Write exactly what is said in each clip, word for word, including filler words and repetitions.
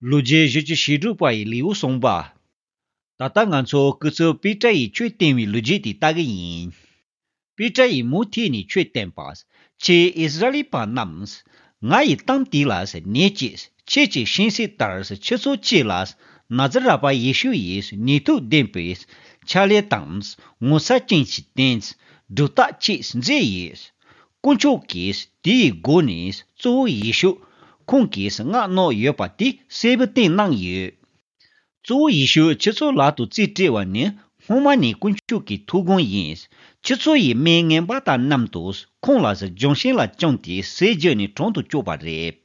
ལོ་རྒྱུས་བཞི་བཅུ་ཞེ་དྲུག་པ་ཡི་ལེའུ་གསུངས་པ། ད་ལྟ་ང་ཚོ་སྐུ་ཚབ་པེ་ཏྲ་ཡིས་ཆོས་བསྟན་པའི་ལོ་རྒྱུས་དེ་ལྟ་གི་ཡིན། པེ་ཏྲ་ཡིས་མུ་མཐུད་ནས་ཆོས་བསྟན་པ། ཁྱེད་ཨིསི་ར་ཨེལ་པ་རྣམས། ང་ཡི་གཏམ་དེ་ལ་ཉན་ཅིག་ཁྱེད་ཀྱིས་ཤེས་གསལ་ལྟར་ཆུ་ཚོད་གཅིག་ལ་ནཱ་ཛི་ར་པ་ཡེ་ཤུ་ཡིས་ནུས་མཐུ་ལྡན་པའི་ཕྱག་ལས་དང་ངོ་མཚར་ཅན་གྱི་རྟེན་སྒྲུབ་རྟགས་ཅིག་མཛད་ཡོད། དཀོན་མཆོག་གིས་དེའི་སྒོ་ནས་གཙོ་བོ་ཡེ་ཤུ་ཁོང་གིས་མངགས་གནང་ཡོད་པ་དེ་གསལ་པོ་བསྟན་གནང་ཡོད། གཙོ་བོ་ཡེ་ཤུ་ཁྱེད་ཚོ་ལག་ཏུ་རྩིས་སྤྲད་པ་ནི་སྔོན་མ་ནས་དཀོན་མཆོག་གི་ཐུགས་དགོངས་ཡིན། ཁྱེད་ཚོ་ཡིས་མི་ངན་པ་དང་མཉམ་དུ་ཁོང་ལ་ལྗོན་ཤིང་ལ་བཅངས་ཏེ་ཟས་བརྒྱུད་ནས་གྲོང་དུ་བསྐྱོད་པ་རེད།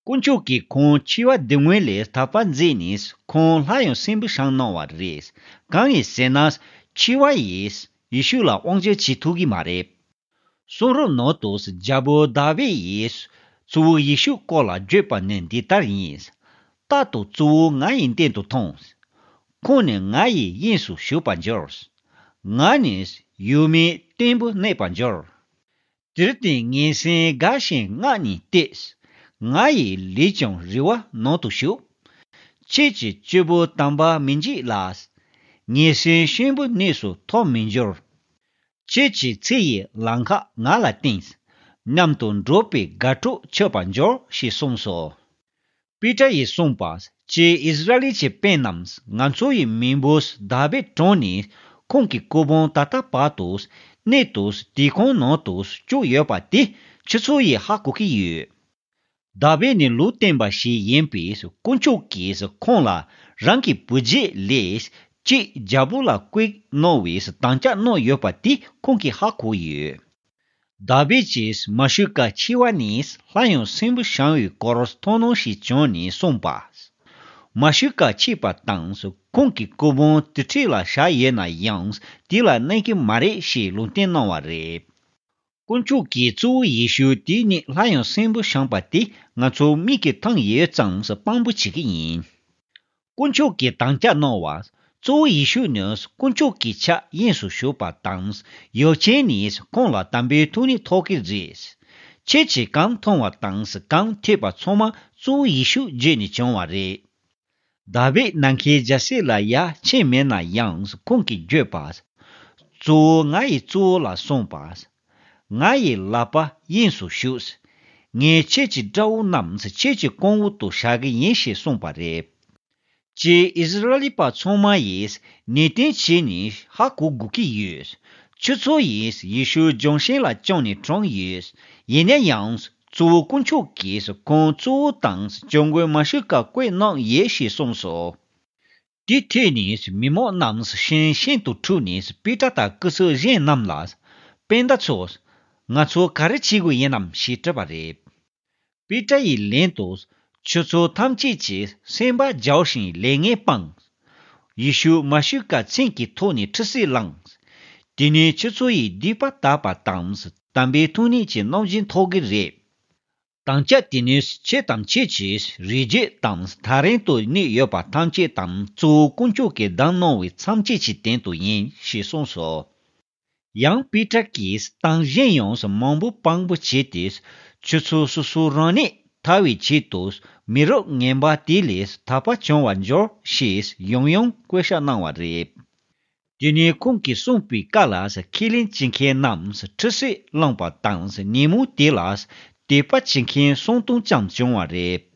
དཀོན་མཆོག་གིས་ཁོང་འཆི་བ་སྡུག་བསྔལ་ལས་ཐར་པ་མཛད་ནས་ཁོང་སླར་ཡང་གསོན་པོར་བཞེངས་གནང་བ་རེད། གང་ཡིན་ཟེར་ན། འཆི་བ་ཡིས་ཡེ་ཤུ་ལ་དབང་སྒྱུར་བྱེད་ཐུབ་ཀྱི་མ་རེད། གསུང་རབ་ནང་དུ་རྒྱལ་པོ་དཱ་བིད་ཡིས་གཙོ་བོ་ཡེ་ཤུ་སྐོར་ལ་བརྗོད་པ་ནི་འདི་ལྟར་ཡིན། རྟག་ཏུ་གཙོ་བོ་ང་ཡི་མདུན་དུ་ཐོངས། ཁོང་ནི་ང་ཡི་དབྱིངས་སུ་ཞུགས་པར་འགྱུར། ང་ནི་ཡུལ་མིའི་སྟེགས་བུར་གནས་པར་འགྱུར། དེར་བརྟེན་ངན་སེམས་དགའ་ཞིང་སྔགས་ནི་བཏུད། ང་ཡི་ལུས་ཀྱང་རེ་བ་ནང་དུ་ཞུགས། ཁྱེད་ཀྱི་སྤྱི་བོ་དམ་པ་མི་འཇིགས་ལ། ངན་སེམས་གཤིན་པོའི་གནས་སུ་ཐོབ་མི་འགྱུར། ཁྱེད་ཀྱི་ཚེ་ཡི་ལམ་ཁ་ང་ལ་བསྟན། མཉམ་དུ་འགྲོགས་པའི་དགའ་སྤྲོ་མཆོད་པར་འགྱུར་ཞེས་གསུངས་སོ། པེ་ཏྲ་ཡིས་གསུངས་པ། ཀྱེ་ཨིསི་ར་ཨེལ་གྱི་སྤུན་རྣམས། ང་ཚོ་ཡི་མེས་པོ་དཱ་བིད་གྲོངས་ནས་ཁོང་གི་སྐུ་བོང་ད་ལྟ་བར་དུ་གནས་དུ་དེ་ཁོང་ནང་དུ་བཅུག་ཡོད་པ་དེ་ཁྱེད་ཚོ་ཡིས་ཧ་གོ་གི་ཡོད། དཱ་བིད་ནི་ལུང་སྟོན་པ་ཞིག་ཡིན་པས་དཀོན་མཆོག་གིས་ཁོང་ལ་རང་གི་བུ་རྒྱུད་ལས་གཅིག་རྒྱལ་པོ་ལ་བསྐོས་གནང་བའི་དམ་བཅའ་གནང་ཡོད་པ་དེ་ཁོང་གིས་ཧ་གོ་ཡོད། དཱ་བིད་ཀྱིས་མ་ཤི་ཀ་འཆི་བ་ནས་སླར་ཡང་གསོན་པོར་བཞེངས་པའི་སྐོར་ཐུགས་སྣང་ཞིག་བྱུང་ནས་གསུངས་པ། མ་ཤི་ཀ་འཆི་བ་དང་ཁོང་གི་སྐུ་བོང་དེ་འཁྲིས་ལ་བཞག་ཡོད་ན་ཡང་དེ་ལ་གནས་ཀྱི་མ་རེད་ཞེས་ལུང་བསྟན་གནང་བ་རེད། དཀོན་མཆོག་གིས་གཙོ་བོ་ཡེ་ཤུ་དེ་ཉིད་སླར་ཡང་གསོན་པོར་བཞེངས་པ་དེ་ང་ཚོ་མིག་གིས་མཐོང་ཡོད་ཙང་དཔང་པོ་བྱེད་ཀྱི་ཡིན། དཀོན་མཆོག་གིས་དམ་བཅའ་གནང་བ། གཙོ་བོ་ཡེ་ཤུ་ནི་དཀོན་མཆོག་གི་ཕྱག་གཡས་སུ་བཞུགས་པ་དང་། ཡབ་ཆེན་ནས་ཁོང་ལ་དམ་པའི་ཐུགས་ཉིད་ཐོབ་ཀྱི་རེད། ཁྱེད་ཀྱིས་གང་མཐོང་བ་དང་གང་ཐོས་པ་ཚང་མ་གཙོ་བོ་ཡེ་ཤུ་བརྒྱུད་ནས་བྱུང་བ་རེད། དཱ་བིད་ནམ་མཁའི་རྒྱལ་སྲིད་ལ་ཡར་ཕྱིན་མེད་ན་ཡང་ཁོང་གིས་བརྗོད་པ། གཙོ་བོ་ང་ཡི་གཙོ་བོ་ལ་གསུངས་པ། ང་ཡི་ལག་པ་གཡས་སུ་བཞུགས། ངས་ཁྱེད་ཀྱི་དགྲ་བོ་རྣམས་ཁྱེད་ཀྱི་གོང་འོག་ཏུ་བཞག་གི་ཡིན་ཞེས་གསུངས་པ་རེད། ཀྱེ་ཨིསི་ར་ཨེལ་པ་ཚང་མ་ཡིས་ནན་ཏན་བྱས་ནས་ཧ་གོ་དགོས་ཀྱི་ཡོད། ཁྱེད་ཚོ་ཡིས་ཡེ་ཤུ་ལྗོན་ཤིང་ལ་བཅངས་ནས་བཀྲོངས་ཡོད། ཡིན་ན་ཡང་གཙོ་བོ་དཀོན་མཆོག་གིས་ཁོང་གཙོ་བོ་དང་སྐྱབས་མགོན་མ་ཤི་ཀ་བསྐོས་གནང་ཡོད་ཞེས་གསུངས་སོ། དེ་ཐོས་ནས་མི་མང་རྣམས་ཤིང་ཤིང་དུ་འཁྲུགས་ནས་པེ་ཏྲ་དང་སྐུ་ཚབ་གཞན་རྣམས་ལ། སྤུན་ཟླ་ཚོ། ང་ཚོ་ག་རེ་བྱེད་དགོས་ཡིན་ནམ་ཞེས་དྲིས་པ་རེད། པེ་ཏྲ་ཡིས་ལན་དུ། ཁྱོད་ཚོ་ཐམས་ཅད་ཀྱིས་སེམས་པ་རྒྱལ་ཞིང་ལས་ངན་སྤངས། ཡེ་ཤུ་མ་ཤི་ཀ་མཚན་གྱི་ཐོག་ནས་ཁྲི་སིལ་བླངས། དེ་ནས་ཁྱོད་ཚོ་ཡི་སྡིག་པ་དག་པ་དང་དམ་པའི་ཐུགས་ཉིད་ཀྱི་རྣམ་བཞིན་ཐོབ་ཀྱི་རེད། དམ་བཅའ་དེ་ནི་ཁྱེད་དང་ཁྱེད་ཀྱི་རིགས་རྒྱུད་དང་ཐག་རིང་དུ་གནས་ཡོད་པ་ཐམས་ཅད་དང་གཙོ་བོ་དཀོན་མཆོག་གིས་བདམས་གནང་བའི་ཚབ་བྱེད་ཀྱི་དོན་དུ་ཡིན་ཞེས་གསུངས་སོ། ཡང་པེ་ཏྲ་གིས་དང་གཞན་ཡང་མང་པོ་དཔང་པོ་བྱས་ཏེ་ཁྱོད་ཚོ་སོ་སོ་རང་ཉིད་ཐར་བའི་ཆེད་དུ་མི་རབས་ངན་པ་དེ་ལས་ཐར་པ་བྱུང་བར་འགྱུར་ཞེས་ཡང་ཡང་བཀོད་ཁྱབ་གནང་བ་རེད། དེ་ནས་ཁོང་གིས་གསུངས་པའི་བཀའ་ལ་ཁས་ལེན་བྱེད་མཁན་རྣམས་ཁྲི་སིལ་བླངས་པ་དང་ཉིན་མོ་དེ་ལ་དད་པ་བྱེད་མཁན་སུམ་སྟོང་ཙམ་བྱུང་བ་རེད།